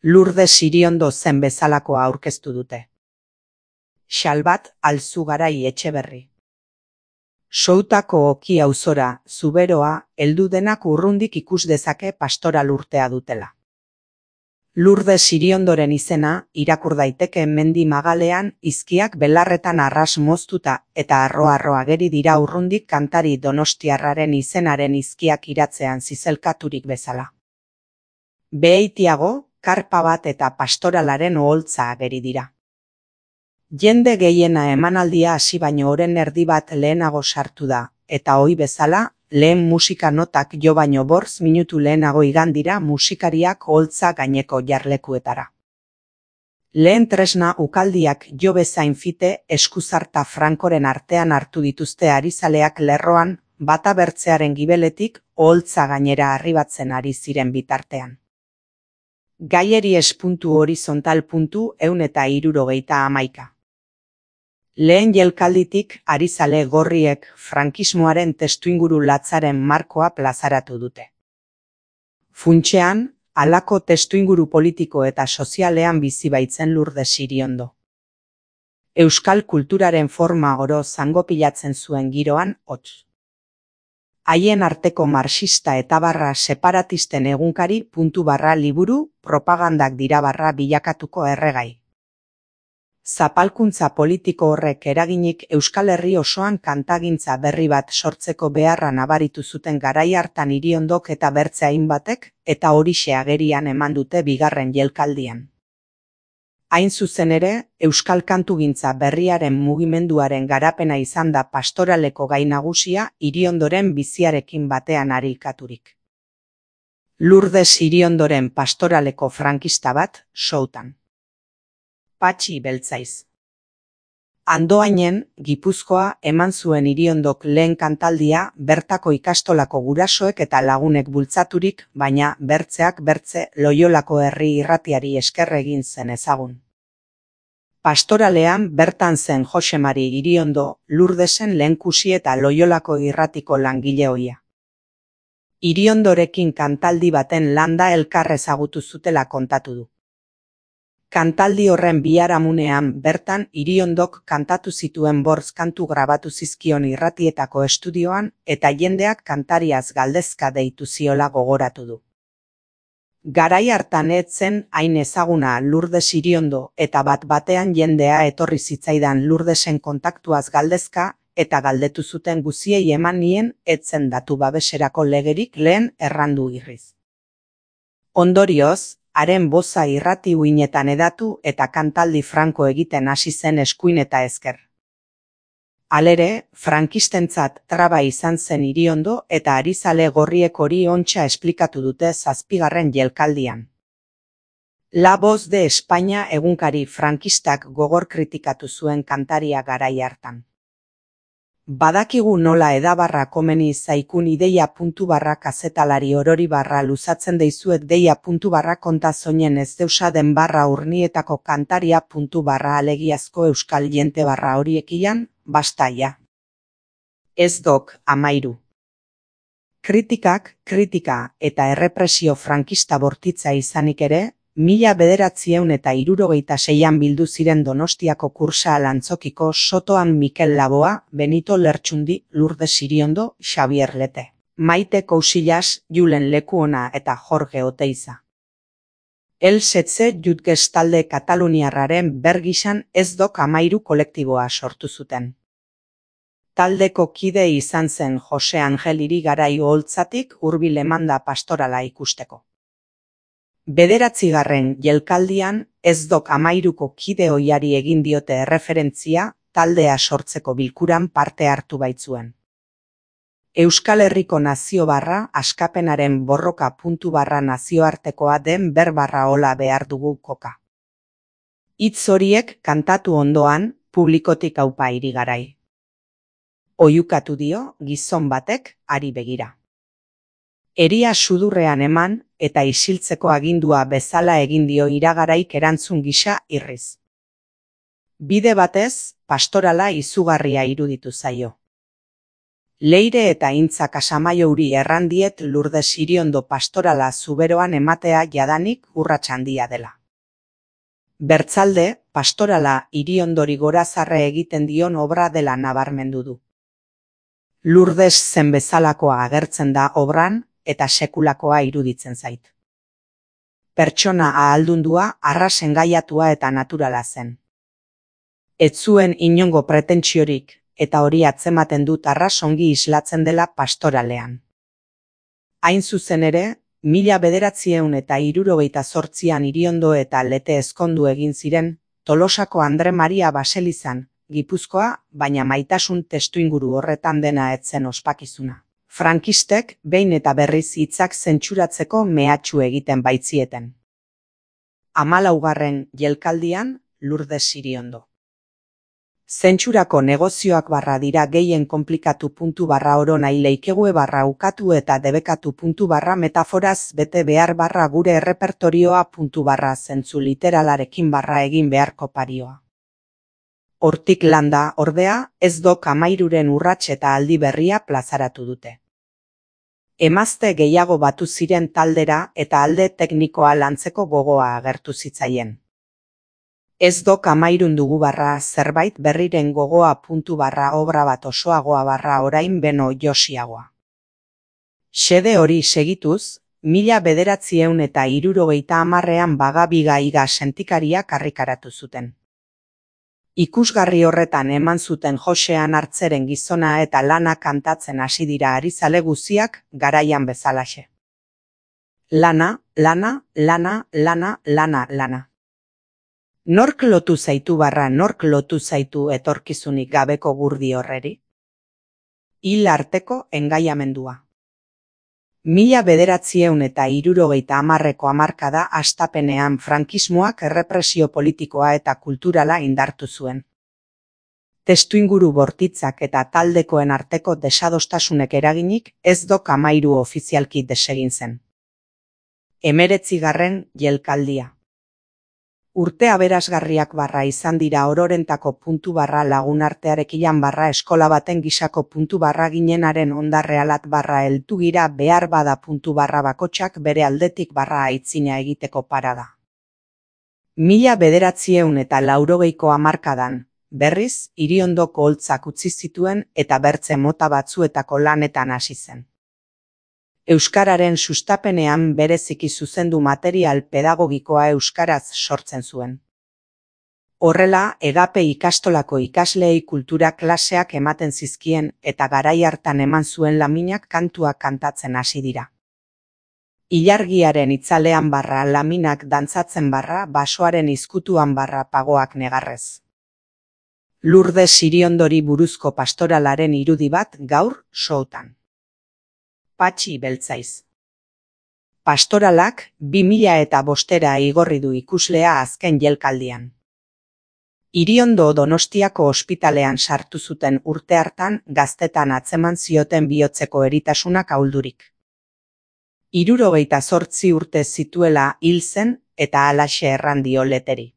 Lourdes Iriondo zen bezalakoa aurkeztu dute. Xalbat Alzugarai Etxeberri. Soutako Oki auzora, Zuberoa, heldu denak urrundik ikus dezake pastoral urtea dutela. Lourdes Iriondoren izena, irakur daiteke mendi magalean, izkiak belarretan arras moztuta eta arro-arro ageri dira urrundik kantari donostiarraren izenaren izkiak iratzean zizelkaturik bezala. Beheitiago, karpa bat eta pastoralaren oholtza ageri dira. Jende gehiena emanaldia hasi baino oren erdi bat lehenago sartu da, eta ohi bezala, lehen musika notak jo baino 5 minutu lehenago igan dira musikariak oholtza gaineko jarlekuetara. Lehen tresna ukaldiak jo bezain fite eskuzarta frankoren artean hartu dituzte arizaleak lerroan, bata bertzearen gibeletik oholtza gainera arribatzen ari ziren bitartean. Gaieri espuntu horizontal puntu 171. Lehen jelkalditik arizale gorriek frankismoaren testuinguru latzaren markoa plazaratu dute. Funtsean, halako testuinguru politiko eta sozialean bizi baitzen Lourdes Iriondo. Euskal kulturaren forma oro zangopilatzen zuen giroan hots. Haien arteko marxista eta separatisten egunkari _liburu propagandak dira bilakatuko erregai. Zapalkuntza politiko horrek eraginik Euskal Herri osoan kantagintza berri bat sortzeko beharra nabaritu zuten garai hartan Iriondok eta bertze hainbatek, eta horixe agerian eman dute bigarren jelkaldian. Hain zuzen ere, Euskal kantugintza berriaren mugimenduaren garapena izan da pastoraleko gai nagusia Iriondoren biziarekin batean harikaturik. Lourdes Iriondoren pastoraleko frankista bat, Soutan. Patxi Beltzaiz. Andoainen, Gipuzkoa eman zuen Iriondok lehen kantaldia bertako ikastolako gurasoek eta lagunek bultzaturik, baina bertzeak bertze Loiolako herri irratiari esker egin zen ezagun. Pastoralean bertan zen Jose Mari Iriondo, Lourdesen lehenkusi eta Loiolako irratiko langile ohia. Iriondorekin kantaldi baten landa elkar ezagutu zutela kontatu du. Kantaldi horren biharamunean bertan Iriondok kantatu zituen 5 kantu grabatu zizkion irratietako estudioan eta jendeak kantariaz galdezka deitu ziola gogoratu du. Garai hartan ez zen hain ezaguna Lourdes Iriondo eta bat-batean jendea etorri zitzaidan Lourdesen kontaktuaz galdezka eta galdetu zuten guziei eman nien ez zen datu babeserako legerik lehen errandu irriz. Ondorioz, haren boza irrati uinetan edatu eta kantaldi franko egiten hasi zen eskuin eta ezker. Halere, frankistentzat traba izan zen Iriondo eta arizale gorriek hori ontsa esplikatu dute 7. jelkaldian. La Voz de España egunkari frankistak gogor kritikatu zuen kantaria garai hartan. Badakigu nola edabarra komeni zaikun ideia _kazetalari orori luzatzen deizuet deia _konta zoinen ez deusaden urnietako kantaria alegiazko euskal jente horiekian, bastaia. Ez dok, 13. Kritika eta errepresio frankista bortitza izanik ere, 1976an bildu ziren Donostiako Kursaal antzokiko Sotoan Mikel Laboa, Benito Lertxundi, Lourdes Iriondo, Xabier Lete, Maite Cousillas, Julen Lekuona eta Jorge Oteiza. El Setze Jutges talde kataluniarraren bergisan ez dok 13 kolektiboa sortu zuten. Taldeko kide izan zen Jose Angel Irigarai oholtzatik hurbil emanda pastorala ikusteko. 9. jelkaldian ez dok 13ko kide ohiari egin diote erreferentzia taldea sortzeko bilkuran parte hartu baitzuen. Euskal Herriko nazio askapenaren borroka _nazioartekoa den hola behar dugu koka. Hitz horiek kantatu ondoan, publikotik aupa Irigarai. Oihukatu dio gizon batek hari begira. Eria sudurrean eman eta isiltzeko agindua bezala egin dio Iragaraik erantzun gisa irriz. Bide batez, pastorala izugarria iruditu zaio. Leire eta Intza Kasamaiouri errandiet Lurdes Iriondo pastorala Zuberoan ematea jadanik urrats handia dela. Bertzalde, pastorala Iriondori gorazarre egiten dion obra dela nabarmendu du. Lurdes zen bezalakoa agertzen da obran eta sekulakoa iruditzen zait. Pertsona ahaldundua, arras engaiatua eta naturala zen. Ez zuen inongo pretentsiorik, eta hori atzematen dut arras ongi islatzen dela pastoralean. Hain zuzen ere, 1978an Iriondo eta Lete ezkondu egin ziren, Tolosako Andre Maria baselizan, Gipuzkoa, baina maitasun testuinguru horretan dena ez zen ospakizuna. Frankistek behin eta berriz hitzak zentsuratzeko mehatxu egiten baitzieten. 14. jelkaldian, Lurdes Iriondo. Zentsurako negozioak dira gehien konplikatu oro nahi leikegue ukatu eta debekatu metaforaz bete behar gure errepertorioa zentzu literalarekin egin beharko parioa. Hortik landa, ordea, ez dok 13 urrats eta aldi berria plazaratu dute. Emazte gehiago batu ziren taldera eta alde teknikoa lantzeko gogoa agertu zitzaien. Ez dok 13 dugu zerbait berriren gogoa obra bat osoagoa orain beno josiagoa. Xede hori segituz, 1970an Bagabiga iga sentikaria karrikaratu zuten. Ikusgarri horretan eman zuten Josean Hartzeren gizona eta lana kantatzen hasi dira arizale guziak garaian bezalaxe. Lana, lana, lana, lana, lana, lana. Nork lotu zaitu nork lotu zaitu etorkizunik gabeko gurdi horreri? Hil arteko engaiamendua. 1970ko hamarkada hastapenean frankismoak errepresio politikoa eta kulturala indartu zuen. Testuinguru bortitzak eta taldekoen arteko desadostasunek eraginik ez dok 13 ofizialki desegin zen. 19. jelkaldia. Urte aberasgarriak izan dira ororentako lagunartearekilan eskola baten gisako ginenaren ondarrealat heldu gira behar bada bakotxak bere aldetik aitzina egiteko parada. 1980ko hamarkadan, berriz, Iriondoko holtzak utzi zituen eta bertze mota batzuetako lanetan hasi zen. Euskararen sustapenean bereziki zuzendu material pedagogikoa euskaraz sortzen zuen. Horrela, Egape ikastolako ikasleei kultura klaseak ematen zizkien eta garai hartan eman zuen laminak kantuak kantatzen hasi dira. Ilargiaren itzalean laminak dantzatzen basoaren izkutuan pagoak negarrez. Lurdes Iriondori buruzko pastoralaren irudi bat gaur showtan. Patxi Beltzaiz. Pastoralak 2005 igorri du ikuslea azken jelkaldian. Iriondo Donostiako ospitalean sartu zuten urte hartan gaztetan atzeman zioten bihotzeko eritasunak ahuldurik. 78 urte zituela hil zen eta halaxe erran dio Leteri.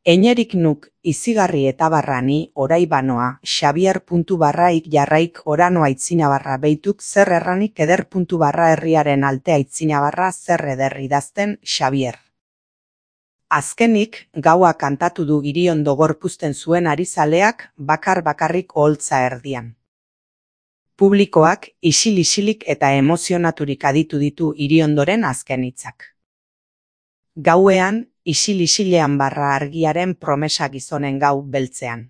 Eñerik nuk izigarri eta ni orai banoa Xabier.ik jarraik orano aitzina beituk zer erranik eder herriaren alte aitzina zer eder idazten Xabier. Azkenik, gaua kantatu du Iriondo gorpuzten zuen arizaleak bakarrik oholtza erdian. Publikoak isil-isilik eta emozionaturik aditu ditu Iriondoren azken hitzak. Gauean, isil-isilean argiaren promesa gizonen gau beltzean.